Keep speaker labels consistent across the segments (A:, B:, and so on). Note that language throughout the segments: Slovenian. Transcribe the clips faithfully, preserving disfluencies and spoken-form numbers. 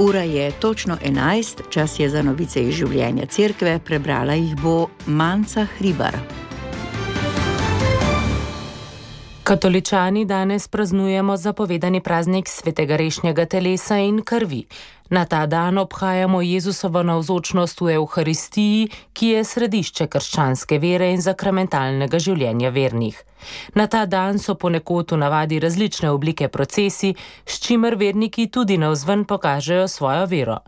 A: Ura je točno enajst, čas je za novice iz življenja cerkve, prebrala jih bo Manca Hribar.
B: Katoličani danes praznujemo zapovedani praznik svetega rešnjega telesa in krvi. Na ta dan obhajamo Jezusovo navzočnost v Evharistiji, ki je središče krščanske vere in sakramentalnega življenja vernih. Na ta dan so ponekod v navadi različne oblike procesij, s čimer verniki tudi navzven pokažejo svojo vero.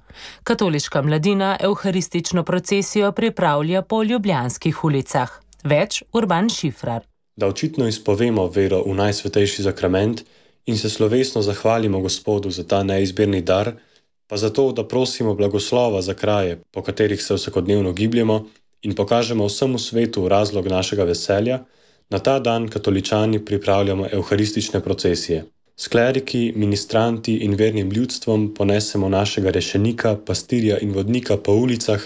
B: Katoliška mladina evharistično procesijo pripravlja po ljubljanskih ulicah. Več Urban Šifrar.
C: Da očitno izpovemo vero v najsvetejši sakrament in se slovesno zahvalimo Gospodu za ta neizmerni dar, pa zato, da prosimo blagoslova za kraje, po katerih se vsakodnevno gibljemo in pokažemo vsemu svetu razlog našega veselja, na ta dan katoličani pripravljamo evharistične procesije. S kleriki, ministranti in vernim ljudstvom ponesemo našega rešenika, pastirja in vodnika po ulicah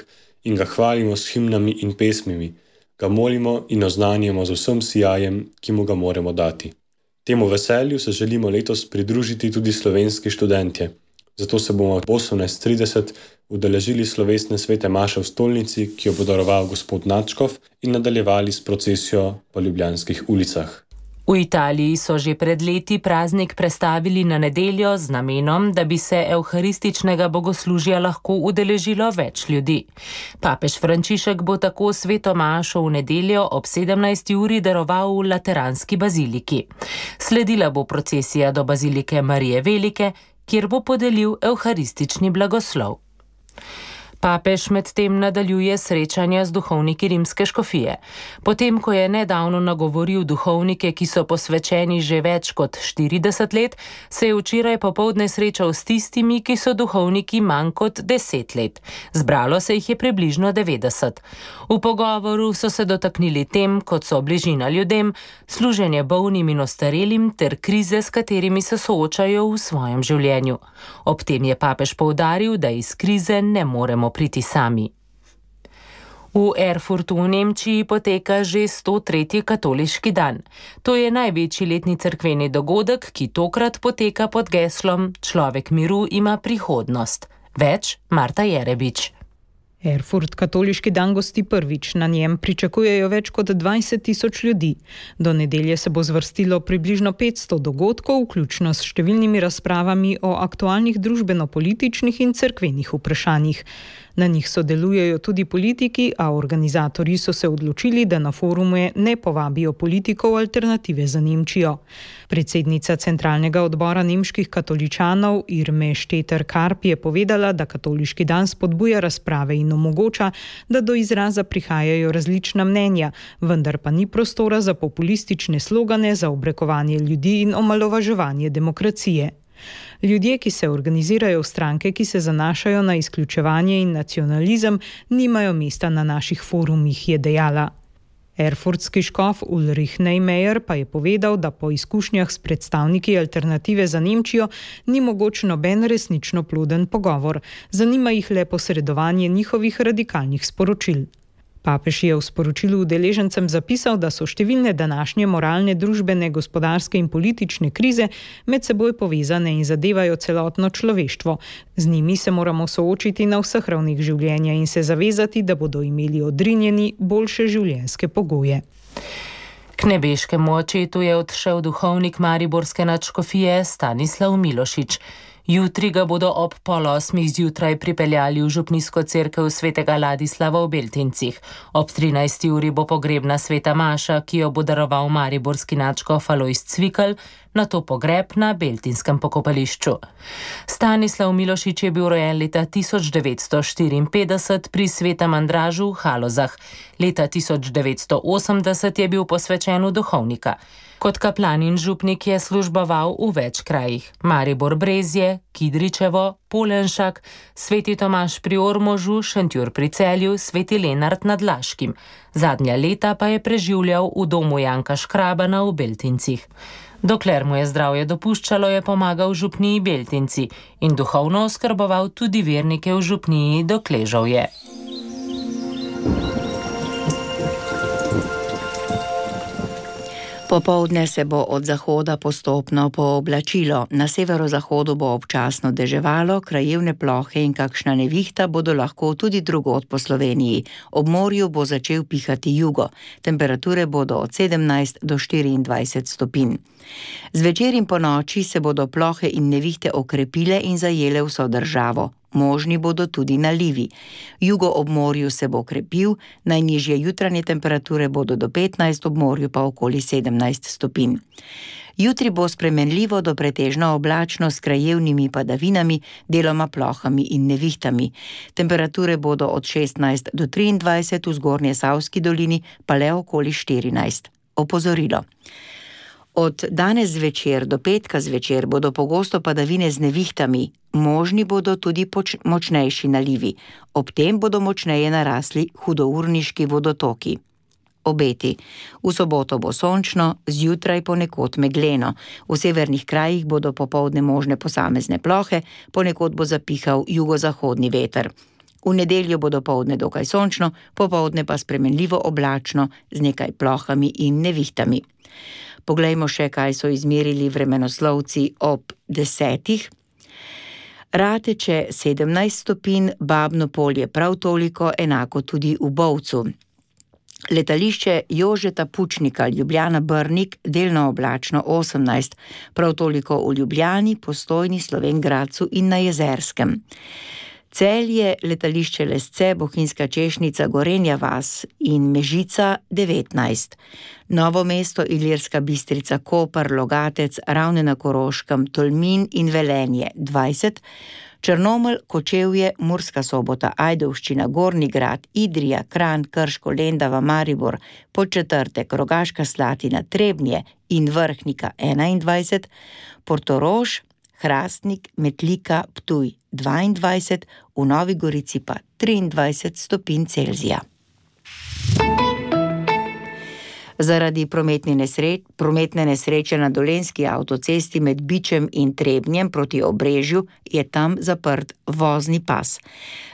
C: in ga hvalimo s himnami in pesmimi, ga molimo in oznanjamo z vsem sijajem, ki mu ga moramo dati. Temu veselju se želimo letos pridružiti tudi slovenski študentje. Zato se bomo ob osemnajst trideset udeležili slovesne svete maše v stolnici, ki jo bo daroval gospod Nadškof, in nadaljevali s procesijo po ljubljanskih ulicah.
B: V Italiji so že pred leti praznik prestavili na nedeljo z namenom, da bi se evharističnega bogoslužja lahko udeležilo več ljudi. Papež Frančišek bo tako sveto mašo v nedeljo ob sedemnajsti uri daroval v Lateranski baziliki. Sledila bo procesija do bazilike Marije Velike, kjer bo podelil evharistični blagoslov. Papež medtem nadaljuje srečanja z duhovniki rimske škofije. Potem, ko je nedavno nagovoril duhovnike, ki so posvečeni že več kot štirideset let, se je včeraj popoldne srečal s tistimi, ki so duhovniki manj kot deset let. Zbralo se jih je približno devetdeset. V pogovoru so se dotaknili tem, kot so bližina ljudem, služenje bolnim in ostarelim ter krize, s katerimi se soočajo v svojem življenju. Ob tem je papež poudaril, da iz krize ne moremo priti sami. V Erfurtu v Nemčiji poteka že sto tretji katoliški dan. To je največji letni cerkveni dogodek, ki tokrat poteka pod geslom Človek miru ima prihodnost. Več Marta Jerebič.
D: Erfurt katoliški dan gosti prvič, na njem pričakujejo več kot dvajset tisoč ljudi. Do nedelje se bo zvrstilo približno petsto dogodkov, vključno s številnimi razpravami o aktualnih družbeno-političnih in cerkvenih vprašanjih. Na njih sodelujejo tudi politiki, a organizatorji so se odločili, da na forume ne povabijo politikov Alternative za Nemčijo. Predsednica centralnega odbora nemških katoličanov Irme Šteter-Karp je povedala, da katoliški dan spodbuja razprave in omogoča, da do izraza prihajajo različna mnenja, vendar pa ni prostora za populistične slogane, za obrekovanje ljudi in omalovaževanje demokracije. Ljudje, ki se organizirajo v stranke, ki se zanašajo na izključevanje in nacionalizem, nimajo mesta na naših forumih, je dejala. Erfurtski škof Ulrich Neymeyer pa je povedal, da po izkušnjah s predstavniki Alternative za Nemčijo ni mogoč noben resnično ploden pogovor. Zanima jih le posredovanje njihovih radikalnih sporočil. Papež je v sporočilu udeležencem zapisal, da so številne današnje moralne, družbene, gospodarske in politične krize med seboj povezane in zadevajo celotno človeštvo. Z njimi se moramo soočiti na vseh ravnih življenja in se zavezati, da bodo imeli odrinjeni boljše življenjske pogoje.
B: K nebeškemu očetu je odšel duhovnik mariborske nadškofije Stanislav Milošič. Jutri ga bodo ob pol osmih zjutraj pripeljali v župnijsko cerkev svetega Ladislava v Beltincih. Ob trinajsti uri bo pogrebna sveta maša, ki jo bo daroval mariborski nadškof Alojz Cvikl, nato pogreb na beltinskem pokopališču. Stanislav Milošič je bil rojen leta tisoč devetsto štiriinpetdeset pri Svetem Andražu v Halozah. Leta tisoč devetsto osemdeset je bil posvečen v duhovnika. Kot kaplan in župnik je služboval v več krajih. Maribor Brezje, Kidričevo, Polenšak, Sveti Tomaž pri Ormožu, Šentjur pri Celju, Sveti Lenart nad Laškim. Zadnja leta pa je preživljal v domu Janka Škrabana v Beltincih. Dokler mu je zdravje dopuščalo, je pomagal župniji Beltinci in duhovno oskrboval tudi vernike v župniji Dokležovje.
A: Popoldne se bo od zahoda postopno pooblačilo, na severozahodu bo občasno deževalo, krajevne plohe in kakšna nevihta bodo lahko tudi drugod po Sloveniji. Ob morju bo začel pihati jugo, temperature bodo od sedemnajst do štiriindvajset stopinj. Zvečer in ponoči se bodo plohe in nevihte okrepile in zajele vso državo. Možni bodo tudi nalivi. Jugo ob morju se bo krepil, najnižje jutranje temperature bodo do petnajst, ob morju pa okoli sedemnajst stopinj. Jutri bo spremenljivo do pretežno oblačno s krajevnimi padavinami, deloma plohami in nevihtami. Temperature bodo od šestnajst do triindvajset, v Zgornjesavski dolini pa le okoli štirinajst. Opozorilo. Od danes zvečer do petka zvečer bodo pogosto padavine z nevihtami, možni bodo tudi poč- močnejši nalivi. Ob tem bodo močneje narasli hudourniški vodotoki. Obeti. V soboto bo sončno, zjutraj ponekod megleno. V severnih krajih bodo popoldne možne posamezne plohe, ponekod bo zapihal jugozahodni veter. V nedeljo bo dopoldne dokaj sončno, popoldne pa spremenljivo oblačno z nekaj plohami in nevihtami. Poglejmo še, kaj so izmerili vremenoslovci ob desetih. Rateče sedemnajst stopinj, Babno Polje prav toliko, enako tudi v Bovcu. Letališče Jožeta Pučnika, Ljubljana Brnik, delno oblačno osemnajst, prav toliko v Ljubljani, Postojni, Slovenj Gradcu in na Jezerskem. Celje, letališče Lesce, Bohinjska Češnica, Gorenja vas in Mežica devetnajst. Novo mesto, Ilirska Bistrica, Koper, Logatec, Ravne na Koroškem, Tolmin in Velenje dvajset. Črnomelj, Kočevje, Murska Sobota, Ajdovščina, Gornji Grad, Idrija, Kranj, Krško, Lendava, Maribor, Podčetrtek, Rogaška Slatina, Trebnje in Vrhnika enaindvajset. Portorož, Hrastnik, Metlika, Ptuj dvaindvajset, v Novi Gorici pa triindvajset stopinj Celzija. Zaradi prometne nesreče, prometne nesreče na Dolenjski avtocesti med Bičem in Trebnjem proti Obrežju je tam zaprt vozni pas.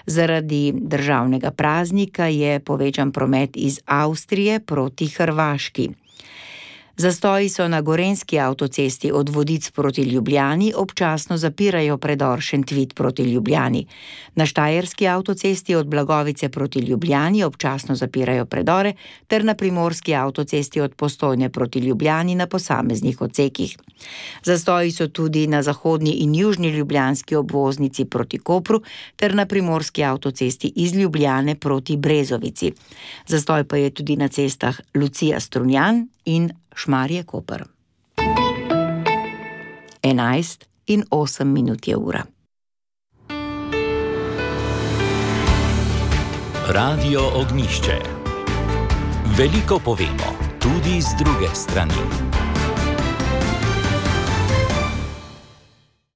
A: Zaradi državnega praznika je povečan promet iz Avstrije proti Hrvaški. Zastoji so na Gorenjski avtocesti od Vodic proti Ljubljani, občasno zapirajo predor Šentvid proti Ljubljani. Na Štajerski avtocesti od Blagovice proti Ljubljani občasno zapirajo predore, ter na Primorski avtocesti od Postojne proti Ljubljani na posameznih odsekih. Zastoji so tudi na zahodni in južni ljubljanski obvoznici proti Kopru, ter na Primorski avtocesti iz Ljubljane proti Brezovici. Zastoj pa je tudi na cestah Lucija Strunjan in Šmarje Koper. enajst in osem minut je ura.
E: Radio Ognjišče. Veliko povemo, tudi z druge strani.